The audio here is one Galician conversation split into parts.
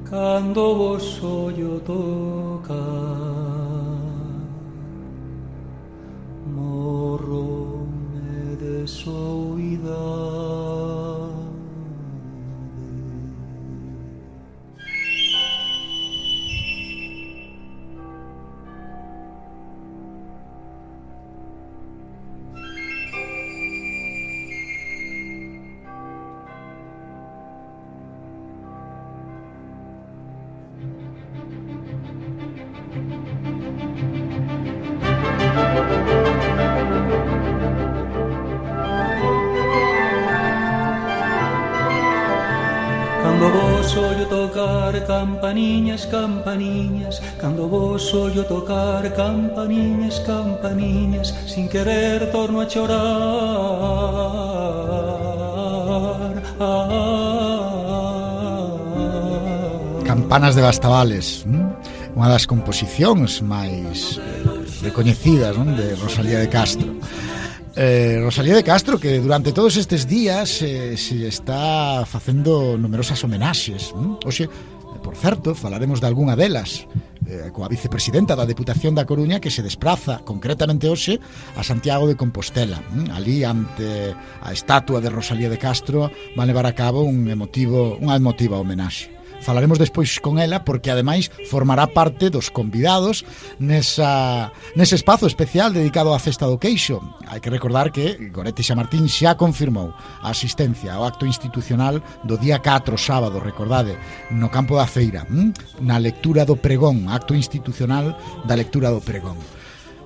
Cando vos ollo tocar, morro-me de soidade. Cando vos ollo tocar campaniñas, campaniñas, cando vos ollo tocar campaniñas, campaniñas, sin querer torno a chorar. Campanas de Bastavales, unha das composicións máis recoñecidas, non? De Rosalía de Castro. Rosalía de Castro, que durante todos estes días se está facendo numerosas homenaxes. Hoxe, por certo, falaremos de algunha delas, coa vicepresidenta da Deputación da Coruña, que se despraza concretamente hoxe a Santiago de Compostela. Ali, ante a estatua de Rosalía de Castro, van levar a cabo unha emotiva homenaxe. Falaremos despois con ela porque ademais formará parte dos convidados nese espazo especial dedicado á Festa do Queixo. Hai que recordar que Goretti Xamartín xa confirmou a asistencia ao acto institucional do día 4, sábado, recordade, no campo da feira, na lectura do pregón, acto institucional da lectura do pregón.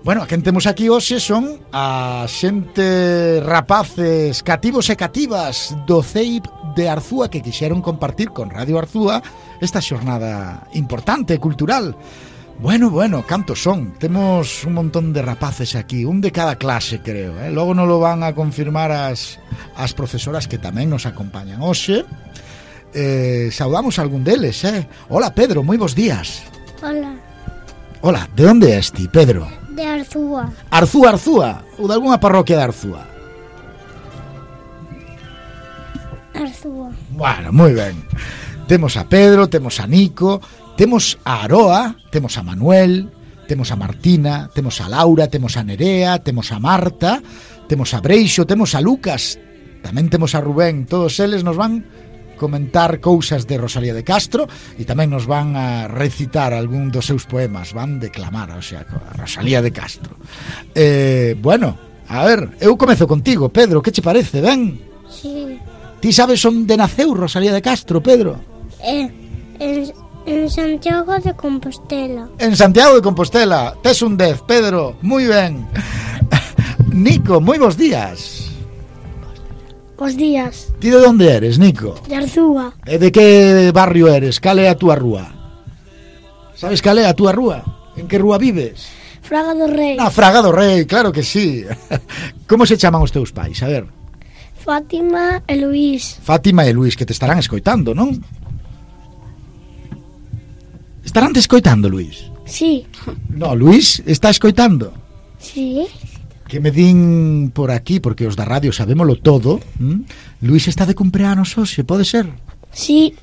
Bueno, a quen temos aquí hoxe son a xente rapaces cativos e cativas do CEIP de Arzúa que quixeron compartir con Radio Arzúa esta xornada importante, cultural. Bueno, cantos son? Temos un montón de rapaces aquí, un de cada clase, creo, Logo non lo van a confirmar as profesoras que tamén nos acompañan hoxe. Saudamos a algún deles, Hola, Pedro, moi bons días. Hola, de onde és ti, Pedro? De Arzúa. Arzúa, ou de algunha parroquia de Arzúa? Arzúa. Bueno, moi ben. Temos a Pedro, temos a Nico, temos a Aroa, temos a Manuel, temos a Martina, temos a Laura, temos a Nerea, temos a Marta, temos a Breixo, temos a Lucas, tamén temos a Rubén. Todos eles nos van comentar cousas de Rosalía de Castro e tamén nos van a recitar algún dos seus poemas, van declamar, o sea, a Rosalía de Castro. Bueno, a ver, eu comezo contigo, Pedro, que che parece, ben? Sí. Ti sabes onde naceu Rosalía de Castro, Pedro? En Santiago de Compostela. En Santiago de Compostela, tes un 10, Pedro, moi ben. Nico, moi bons días. Bos días. Ti de onde eres, Nico? De Arzúa. E de que barrio eres? Cal é a túa rúa? Sabes cal é a túa rúa? En que rúa vives? Fraga do Rei. Fraga do Rei, claro que sí. Como se chaman os teus pais? A ver. Fátima e Luís. Fátima e Luís, que te estarán escoitando, non? Estarán te escoitando, Luís? Sí. No, Luís está escoitando. Sí. Que me din por aquí, porque os da radio sabémolo todo, Luís está de cumpleanos hoxe, pode ser? Sí.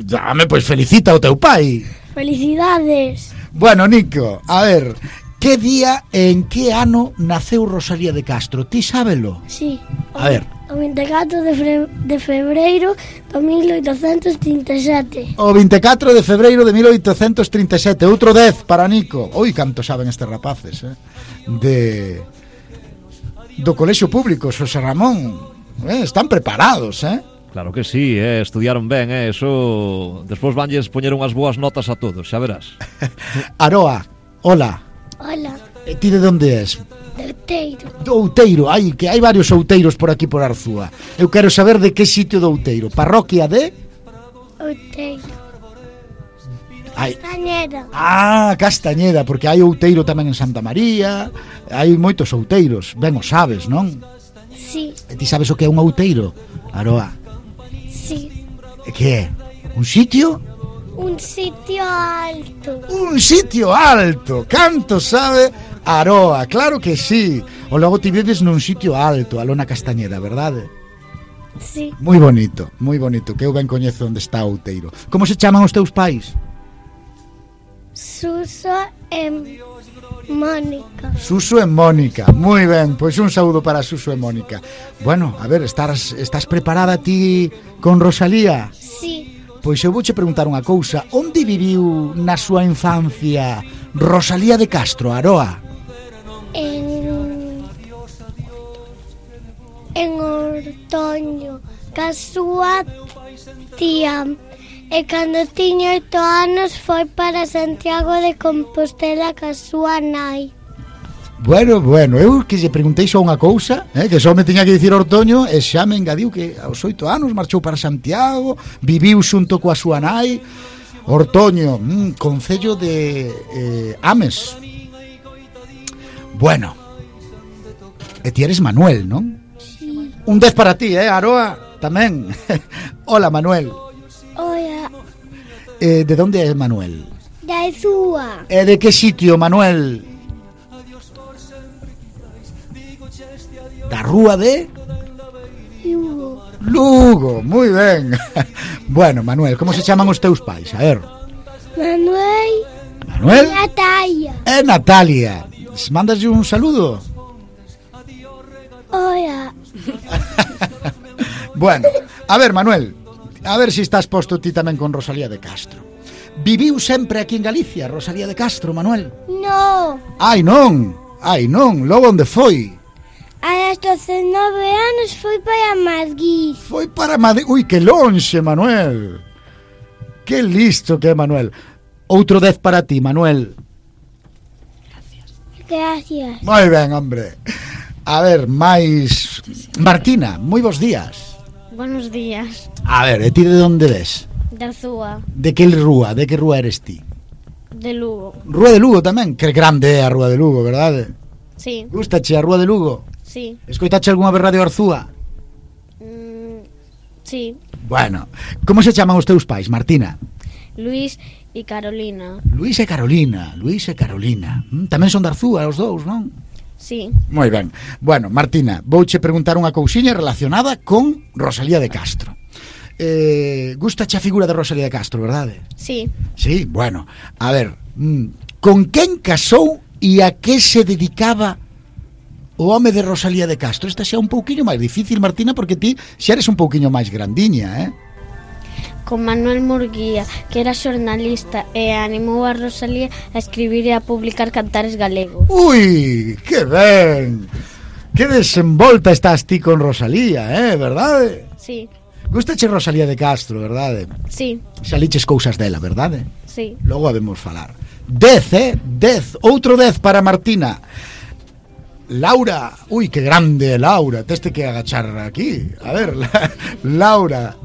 Dame, pois felicita ao teu pai. Felicidades. Bueno, Nico, a ver, que día e en que ano naceu Rosalía de Castro? Ti sábelo? Sí. A ver. O 24 de febreiro de 1837. O 24 de febreiro de 1837. Outro 10 para Nico. Oi, canto saben estes rapaces, do Colexio Público Xosé Ramón. Están preparados, Claro que sí, estudiaron ben, eso. Despois vanlles poñer unhas boas notas a todos, xa verás. Aroa, hola. Hola. E ti de onde és? De Outeiro. Do Outeiro, que hai varios outeiros por aquí por Arzúa. Eu quero saber de que sitio do Outeiro. Parroquia de? Outeiro. Hai... Castañeda. Castañeda, porque hai outeiro tamén en Santa María. Hai moitos outeiros, ben o sabes, non? Sí. E ti sabes o que é un outeiro, Aroa? Sí. E que é? Un sitio? Un sitio alto. Un sitio alto, canto sabe Aroa, claro que sí. O logo ti vives nun sitio alto, a Lona Castañeda, verdade? Sí. moi bonito, que eu ben coñezo onde está Outeiro. Como se chaman os teus pais? Suso e Mónica. Suso e Mónica, moi ben, pois un saúdo para Suso e Mónica. Bueno, a ver, estás preparada ti con Rosalía? Sí. Pois eu vouche preguntar unha cousa. Onde viviu na súa infancia Rosalía de Castro, Aroa? En Ortoño, ca súa tía. E cando tiña 8 anos foi para Santiago de Compostela ca súa nai. Bueno, eu que lle preguntei só unha cousa, que só me tiña que dicir Ortoño, e xa me engadiu que aos 8 anos marchou para Santiago, viviu xunto coa súa nai. Ortoño, concello de Ames. Bueno, e ti eres Manuel, non? Sí. Un 10 para ti, Aroa, tamén. Hola, Manuel. Oia, ¿De dónde es Manuel? da súa. ¿De qué sitio, Manuel? Da rúa de Lugo. Lugo, moi ben. Bueno, Manuel, como se chaman os teus pais? A ver. Manuel Manuel Natalia. e Natalia. Mándaslle un saludo. Oia, Bueno, a ver, Manuel, a ver se estás posto ti tamén con Rosalía de Castro. Viviu sempre aquí en Galicia, Rosalía de Castro, Manuel? no. Ai, non, logo onde foi? A los 9 anos foi para Madrid. Foi para Madrid. Ui, que lonxe, Manuel. Que listo que é, Manuel. Outro 10 para ti, Manuel. Gracias. Moi ben, hombre. A ver, máis... Martina, moi bons días. Buenos días. A ver, e ti de onde ves? De Arzúa, De que rúa eres ti? de Lugo. Rúa de Lugo tamén. Que grande é a Rúa de Lugo, verdade? Sí, Gústache a Rúa de Lugo? sí, Escoitache algunha vez Radio Arzúa? sí. Bueno, como se chaman os teus pais, Martina? Luis y Carolina. Luis e Carolina. Tamén son de Arzúa os dous, non? Sí, Moi ben. Bueno, Martina, vouche preguntar unha cousiña relacionada con Rosalía de Castro. Gustache a figura de Rosalía de Castro, verdade? sí. Sí, bueno. A ver, con quen casou e a que se dedicaba o home de Rosalía de Castro? Esta xa é un pouquiño máis difícil, Martina, porque ti xa eres un pouquiño máis grandiña, Con Manuel Murguía, que era xornalista e animou a Rosalía a escribir e a publicar cantares galegos. Ui, que ben. Que desenvolta estás ti con Rosalía, verdade? Sí, Gustache Rosalía de Castro, verdade? sí, Xa liches cousas dela, verdade? sí. Logo habemos falar. 10, 10, outro 10 para Martina. Laura, ui, que grande Laura, teste que agachar aquí. A ver, Laura,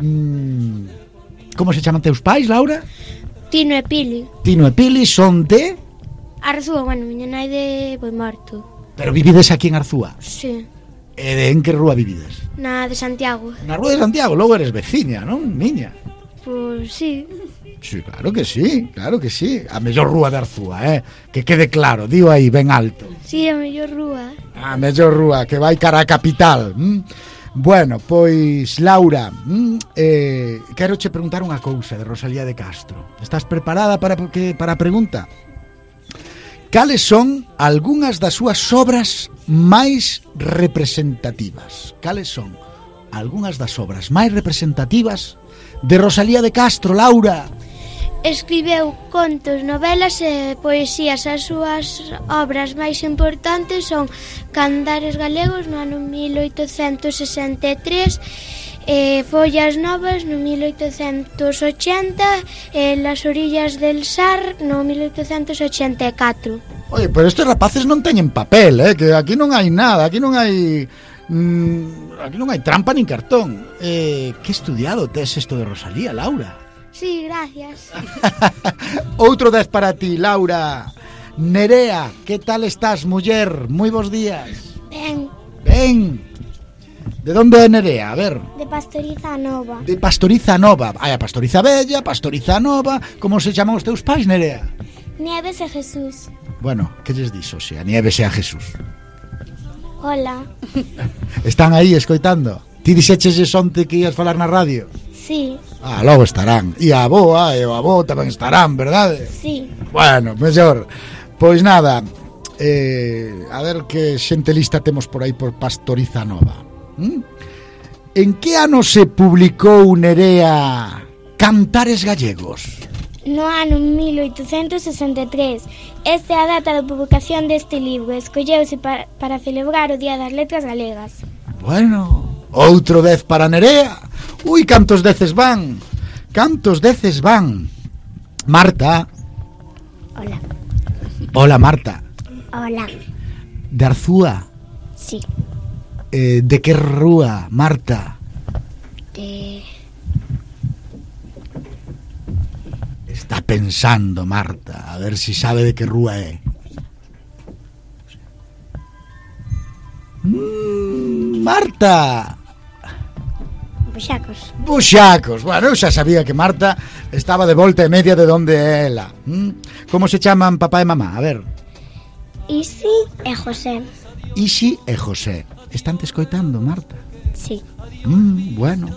como se chaman teus pais, Laura? Tino e Pili. Tino e Pili son de... Arzúa, bueno, miña nai de Boimorto. Pero vivides aquí en Arzúa. Sí. E en que rúa vivides? Na de Santiago. Na rúa de Santiago, logo eres veciña, non, niña? Pois sí. Sí, claro que sí, claro que sí. A mellor rúa de Arzúa, que quede claro, digo aí ben alto. Sí, a mellor rúa. A mellor rúa, que vai cara a capital. Bueno, pois, Laura, quero che preguntar unha cousa de Rosalía de Castro. Estás preparada para a pregunta? Cales son algunhas das súas obras máis representativas? Cales son algunhas das obras máis representativas de Rosalía de Castro, Laura? Escribeu contos, novelas e poesías. As súas obras máis importantes son Cantares galegos no ano 1863, Follas novas no 1880 e Las orillas del Sar no 1884. Oye, pero estes rapaces non teñen papel, que aquí non hai nada, aquí non hai trampa nin cartón. Que estudiado tes isto de Rosalía, Laura? Sí, gracias. Outro 10 para ti, Laura. Nerea, que tal estás, muller? Moi bons días. Ben, De onde é Nerea? A ver. de Pastoriza Nova. De Pastoriza Nova. Hai a Pastoriza Bella, Pastoriza Nova. Como se chaman os teus pais, Nerea? Nieves e Jesús. Bueno, que lles dixo, se a Nieves e a Jesús? Hola. Están aí escoitando. Ti Ti dixeches onte que ías falar na radio? Sí, Logo estarán. E a avoa e o avó tamén estarán, verdade? sí. Bueno, mellor. Pois nada, a ver que xente lista temos por aí por Pastoriza Nova. En que ano se publicou Nerea Cantares Gallegos? No ano 1863. Esta é a data de publicación deste libro. Escolleuse para celebrar o Día das Letras Galegas. Bueno, outro 10 para Nerea. Ui, cantos deces van? Cantos deces van? Marta. Hola. Hola, Marta. Hola. De Arzúa. Sí. De que rúa, Marta? Está pensando, Marta, a ver si sabe de que rúa é. Marta. Buxacos. Bueno, eu xa sabía que Marta estaba de volta e media de onde é ela. Como se chaman papá e mamá? A ver. Isi e José. Isi e José. Están te escoitando, Marta? Sí. Bueno.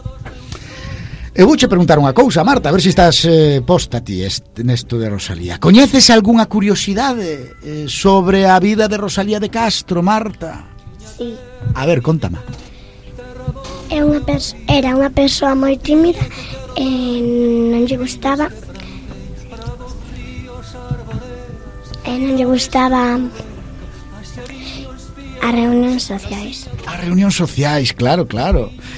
Eu vouche preguntar unha cousa, Marta, a ver se estás posta ti nesto de Rosalía. Coñeces algunha curiosidade sobre a vida de Rosalía de Castro, Marta? Sí. A ver, contame. Era unha persoa moi tímida e non lle gustaba as reunións sociais. As reunións sociais, claro.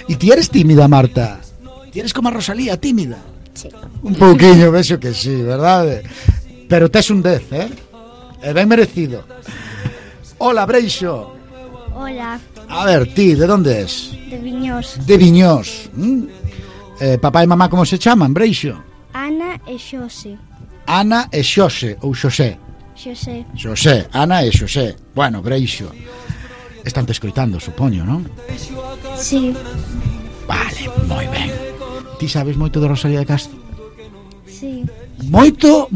E ti eres tímida, Marta? Ti eres como a Rosalía, tímida? Sí. Un pouquiño, vexo que sí, verdade? Pero tes un 10, É ben merecido. Hola, Breixo. Hola. A ver, ti, de onde es? De Viñós. De Viñós. Papá e mamá como se chaman, Breixo? Ana e Xose. Ana e Xose, ou Xosé? Xosé, Ana e Xosé. Bueno, Breixo. Están te escoitando, supoño, non? Sí. Vale, moi ben. Ti sabes moito de Rosalía de Castro? Sí. Moito?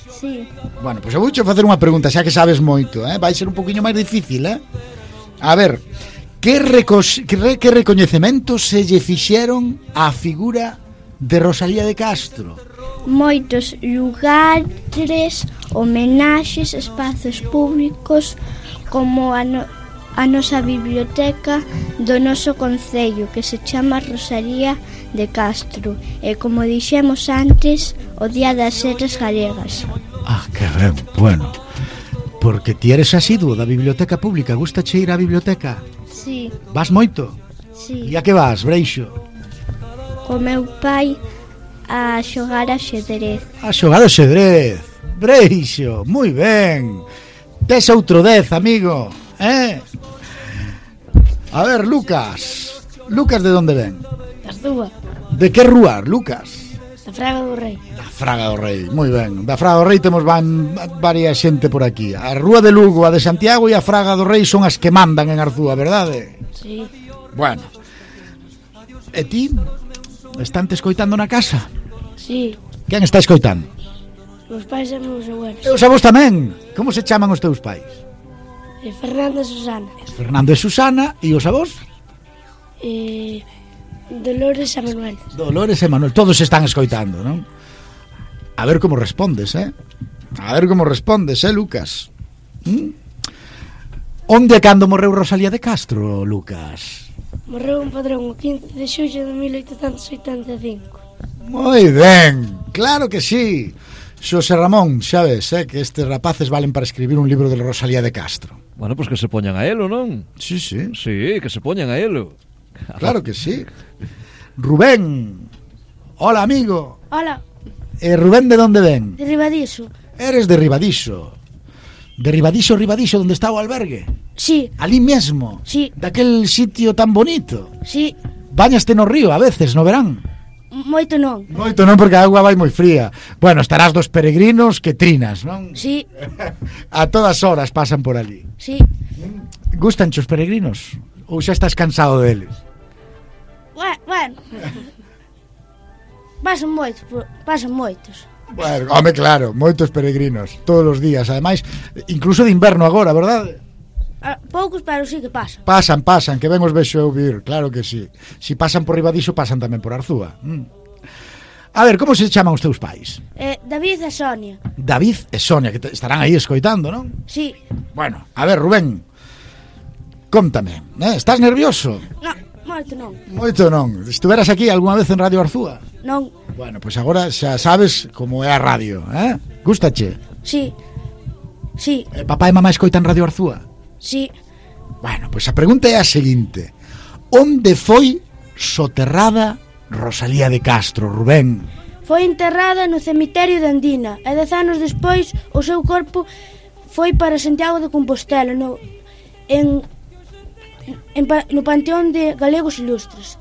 Sí. Bueno, pois eu vouche facer unha pregunta, xa que sabes moito, vai ser un poquinho máis difícil, A ver, que recoñecementos se lle fixeron á figura de Rosalía de Castro? Moitos lugares, homenaxes, espazos públicos, como a nosa biblioteca do noso concello, que se chama Rosalía de Castro, e como dixemos antes, o Día das Letras Galegas. Que ben, bueno. Porque ti eres asiduo da biblioteca pública. Gustache ir á biblioteca? Sí. Vas moito? Sí. E a que vas, Breixo? Co meu pai a xogar a xedrez. A xogar a xedrez. Breixo, moi ben. Tes outro 10, amigo, A ver, Lucas. Lucas de onde ven? Da Arzúa. De que rúa, Lucas? Da Fraga do Rei. Da Fraga do Rei, moi ben. Da Fraga do Rei temos varia xente por aquí. A Rúa de Lugo, a de Santiago e a Fraga do Rei son as que mandan en Arzúa, verdade? Sí. Bueno. E ti? Están te escoitando na casa? Sí. Quen está escoitando? Os pais e meus abuelos. E os avós tamén? Como se chaman os teus pais? Fernando e Susana. Fernando e Susana. E os avós? Dolores e Manuel. Dolores e Manuel. Todos están escoitando, non? A ver como respondes, A ver como respondes, Lucas? Onde e cando morreu Rosalía de Castro, Lucas? Morreu un padrón o 15 de xullo de 1885. Moi ben, claro que sí. Xosé Ramón, xa ves, que estes rapaces valen para escribir un libro de Rosalía de Castro. Bueno, pois que se poñan a elo, non? Sí. Sí, que se poñan a elo. Claro que sí. Rubén. Hola, amigo. Hola. Rubén, de onde ven? De Ribadiso. Eres de Ribadiso. De Ribadiso, onde está o albergue? Sí. Ali mesmo? Sí. Daquel sitio tan bonito? Sí. Bañaste no río a veces, no verán? Moito non. Moito non, porque a auga vai moi fría. Bueno, estarás dos peregrinos que trinas, non? Sí. A todas horas pasan por ali. Sí. Gustan os peregrinos? Ou xa estás cansado deles? Bueno. Pasan moitos. Bueno, home, claro, moitos peregrinos todos os días, ademais, incluso de inverno agora, verdade? Poucos, pero sí que pasan. Pasan, que ben os vexo eu vir, claro que sí. Si pasan por riba diso, pasan tamén por Arzúa. A ver, como se chaman os teus pais? David e Sonia. David e Sonia, que estarán aí escoitando, non? Sí. Bueno, a ver, Rubén, cóntame, estás nervioso? Non, moito non. Moito non. Estuveras aquí algunha vez en Radio Arzúa? Non. Bueno, pois agora xa sabes como é a radio, Gústache? Sí. Sí. Papá e mamá escoitan Radio Arzúa? Sí. Bueno, pois a pregunta é a seguinte: onde foi soterrada Rosalía de Castro, Rubén? Foi enterrada no cemiterio de Andina e 10 anos despois o seu corpo foi para Santiago de Compostela no Panteón de Galegos Ilustres.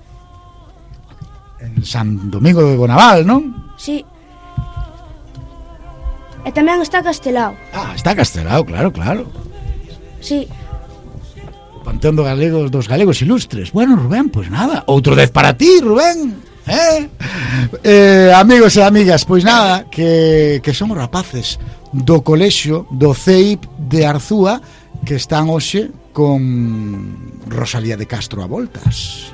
En San Domingo de Bonaval, non? Sí. E tamén está Castelao. Está Castelao, claro. Sí. O Panteón dos Galegos Ilustres. Bueno, Rubén, pois nada, outro 10 para ti, Rubén. Amigos e amigas, pois nada, que son os rapaces do colexio do CEIP de Arzúa que están hoxe con Rosalía de Castro a voltas.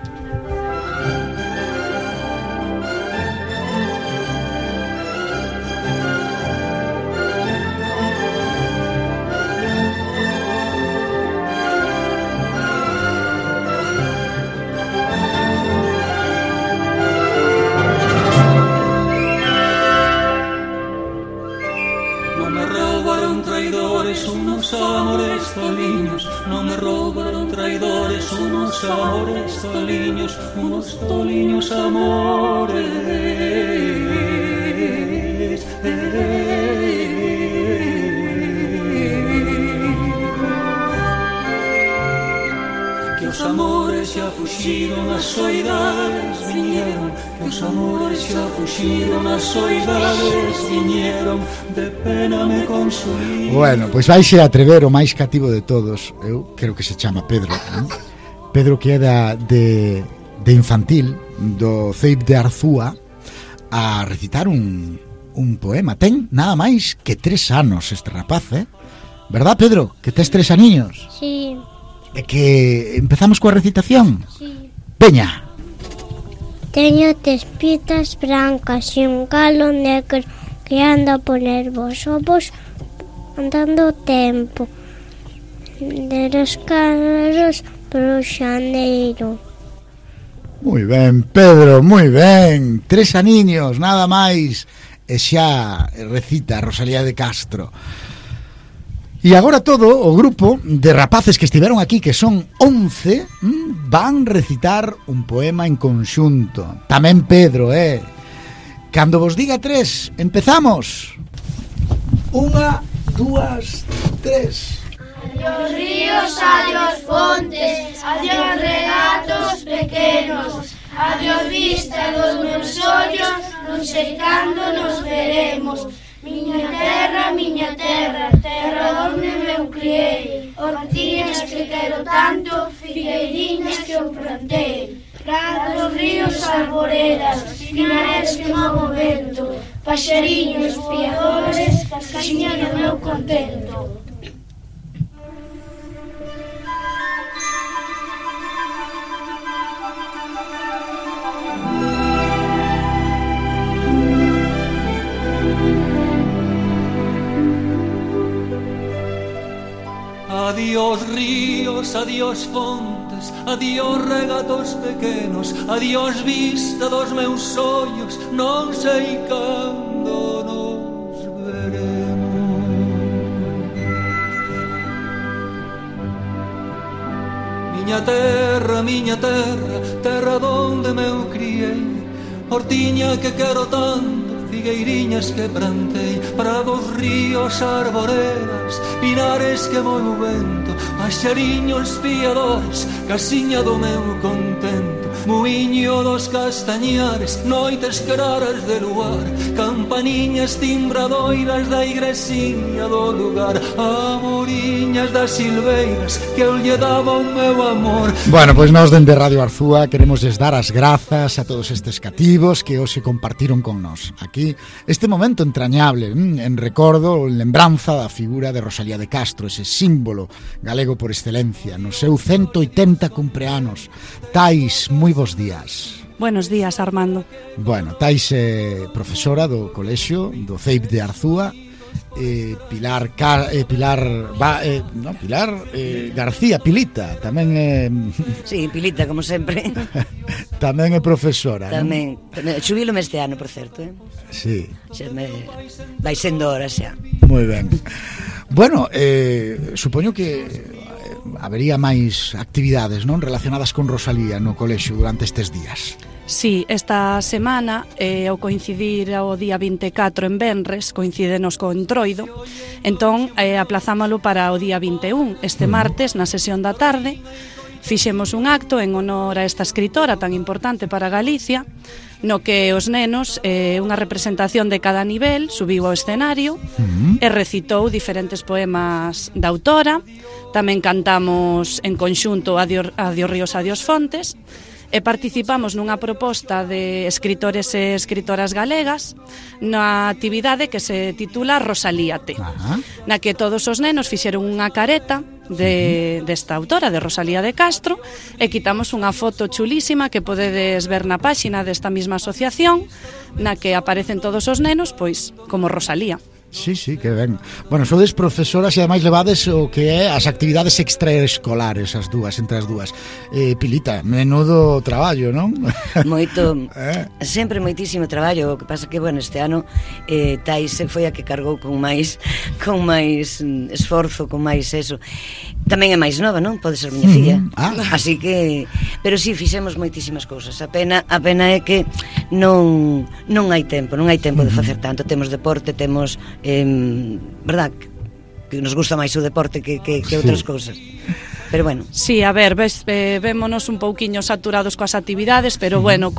Unos toliños amores. Que os amores xa fuxiron, as soidades viñeron. Que os amores xa fuxiron, as soidades viñeron. De pena me consuí. Bueno, pois vaise atrever o máis cativo de todos. Eu creo que se chama Pedro, non? Pedro, que é de infantil do CEIP de Arzúa, a recitar un poema. Ten nada máis que 3 anos este rapaz, verdad, Pedro? Que tes 3 aniños? Sí. E que empezamos coa recitación? Sí. Veña. Teño tespitas brancas e un galo negro que anda a poner vos ovos andando o tempo de los carros pro xaneiro. Moi ben, Pedro, moi ben. 3 aniños, nada máis. E xa recita Rosalía de Castro. E agora todo o grupo de rapaces que estiveron aquí, que son 11, van recitar un poema en conxunto. Tamén Pedro, Cando vos diga 3, empezamos. 1, 2, 3. Adiós ríos, adiós fontes, adiós regatos pequenos, adiós vista dos meus ollos, non sei cando nos veremos. Miña terra, terra onde me criei, hortiñas que quero tanto, figueiriñas que eu plantei. Prados, ríos, arboredas, pinares que movo vento, paxariños, piadores, casiña do meu contento. Adiós ríos, adiós fontes, adiós regatos pequenos, adiós vista dos meus ollos, non sei cando nos veremos. Miña terra, terra donde me criei, hortiña que quero tanto, figueiriñas que plantei, prados, ríos, arboredas, pinares que moi o vento, paxariños piadores, casiña do meu contento, Muiño dos castañares, noites claras de luar, campaniñas timbradoiras da igresiña do lugar, amoriñas das silveiras que eu lle daba o meu amor. Bueno, pois nós dende Radio Arzúa queremos dar as grazas a todos estes cativos que hoxe compartiron con nós aquí este momento entrañable, en recordo, en lembranza da figura de Rosalía de Castro, ese símbolo galego por excelencia, no seu 180 cumpleanos. Tais, moi bons días. Buenos días, Armando. Bueno, Tais é profesora do colexio do CEIP de Arzúa. Pilar García, Pilita, tamén é... Sí, Pilita, como sempre. Tamén é profesora, tamén, non? Xubílome este ano, por certo, Sí. Vai sendo hora xa. Moi ben. Bueno, supoño que habería máis actividades, non, relacionadas con Rosalía no colexio durante estes días. Sí, esta semana, ao coincidir ao día 24 en Venres, coincídenos co Entroido, entón aplazámolo para o día 21, este martes, na sesión da tarde. Fixemos un acto en honor a esta escritora tan importante para Galicia, no que os nenos, unha representación de cada nivel, subiu ao escenario e recitou diferentes poemas da autora. Tamén cantamos en conxunto Adiós Ríos, Adiós Fontes, e participamos nunha proposta de escritores e escritoras galegas na actividade que se titula Rosalíate, na que todos os nenos fixeron unha careta desta autora, de Rosalía de Castro, e quitamos unha foto chulísima que podedes ver na páxina desta mesma asociación, na que aparecen todos os nenos pois como Rosalía. Sí, que ben. Bueno, sodes profesoras e ademais levades o que é as actividades extraescolares, as dúas, entre as dúas. Pilita, menudo traballo, non? Moito, sempre moitísimo traballo. O que pasa que, bueno, este ano Tais foi a que cargou con máis esforzo, con máis eso. Tamén é máis nova, non? Pode ser miña filla. Así que, pero sí, fixemos moitísimas cousas. A pena é que non hai tempo de facer tanto. Temos deporte, temos verdad, que nos gusta máis o deporte que outras cousas. Pero bueno. Sí, a ver, vémonos un pouquiño saturados coas actividades, pero bueno,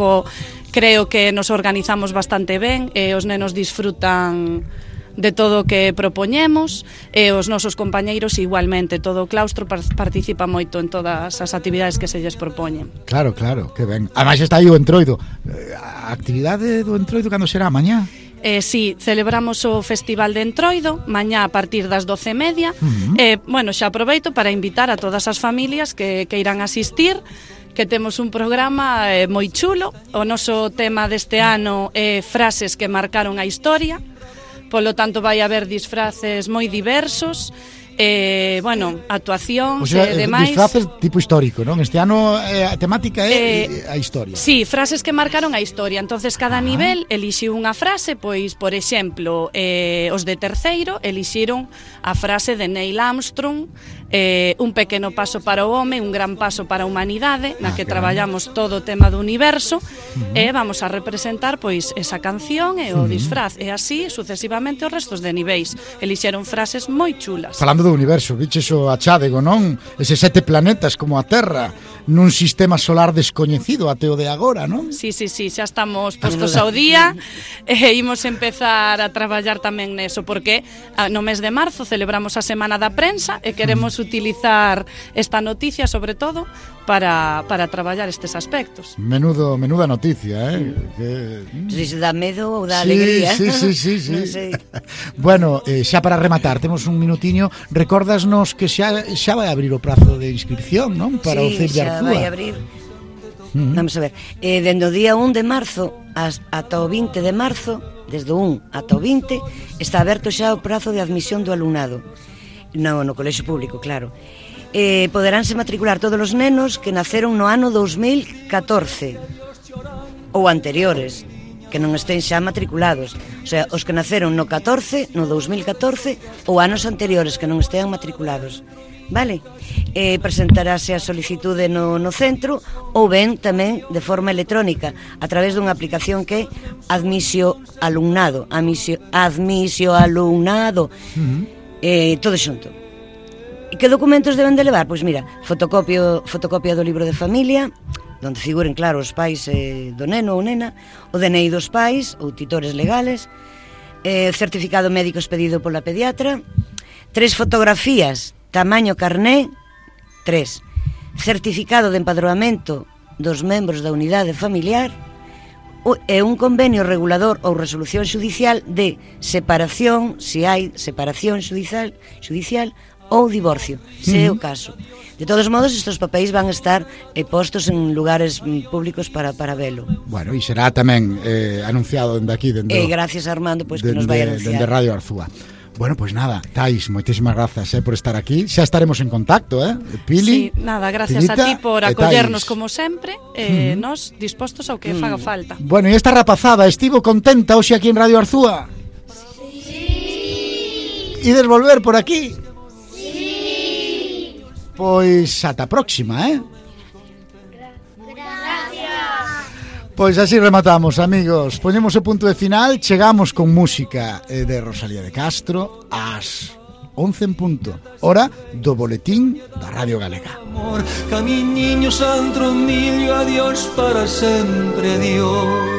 creo que nos organizamos bastante ben, os nenos disfrutan de todo o que propoñemos, e os nosos compañeiros igualmente, todo o claustro participa moito en todas as actividades que se lles propoñen. Claro, que ben. Ademais está aí o Entroido. A actividade do Entroido cando será? Mañá? Sí, celebramos o Festival de Entroido mañá a partir das 12:30. Bueno, xa aproveito para invitar a todas as familias que irán asistir, que temos un programa moi chulo. O noso tema deste ano é frases que marcaron a historia. Polo tanto, vai haber disfraces moi diversos, bueno, actuacións e demais. Disfraces tipo histórico, non? Este ano a temática é a historia. Sí, frases que marcaron a historia. Entonces, cada nivel elixiu unha frase, pois, por exemplo, os de terceiro elixiron a frase de Neil Armstrong, un pequeno paso para o home, un gran paso para a humanidade, na que traballamos todo o tema do universo, e vamos a representar pois esa canción e o disfraz, e así sucesivamente os restos de niveis. Elixeron frases moi chulas. Falando do universo, viches o achádego, non? Ese 7 planetas como a Terra nun sistema solar descoñecido até o de agora, non? Sí, xa estamos postos ao día, e imos empezar a traballar tamén neso, porque no mes de marzo celebramos a Semana da Prensa e queremos utilizar esta noticia, sobre todo, para traballar estes aspectos. Menuda noticia, Si se dá medo ou dá alegría. Sí. Non sei. Bueno, xa para rematar, temos un minutiño. Recórdasnos que xa vai abrir o prazo de inscripción, non? Para o CEIP de Arzúa. Sí, xa vai abrir. Vamos a ver, dende o día 1 de marzo ata o 20 de marzo, desde o 1 ata o 20, está aberto xa o prazo de admisión do alumnado no colexio público, claro. Poderánse matricular todos os nenos que naceron no ano 2014 ou anteriores, que non estén xa matriculados. O sea, os que naceron no 14, no 2014 ou anos anteriores que non estean matriculados. Vale? Presentarase a solicitude no centro, ou ben tamén de forma electrónica a través dunha aplicación que é Admisio Alumnado, todo xunto. E que documentos deben de levar? Pois mira, fotocopia do libro de familia, donde figuren, claro, os pais do neno ou nena, o DNI dos pais ou titores legales, certificado médico expedido pola pediatra, 3 fotografías tamaño carné, 3 certificado de empadroamento dos membros da unidade familiar e un convenio regulador ou resolución xudicial de separación, se hai separación xudicial ou divorcio, se é o caso. De todos modos, estes papéis van a estar postos en lugares públicos para velo. Bueno, e será tamén anunciado dende aquí, gracias a Armando, pois que nos vai anunciar. Dende Radio Arzúa. Bueno, pois nada, Tais, moitísimas grazas por estar aquí. Xa estaremos en contacto, Pili. Sí, nada, gracias Pilita, a ti por acollernos como sempre, nos dispostos ao que faga falta. Bueno, e esta rapazada estivo contenta hoxe aquí en Radio Arzúa? Sí. Ides volver por aquí? Sí. Pois ata a próxima, Pois así rematamos, amigos. Poñemos o punto de final, chegamos con música de Rosalía de Castro ás 11 en punto, hora do boletín da Radio Galega. Amor, camiñiño santo millo, adiós para sempre, Dios.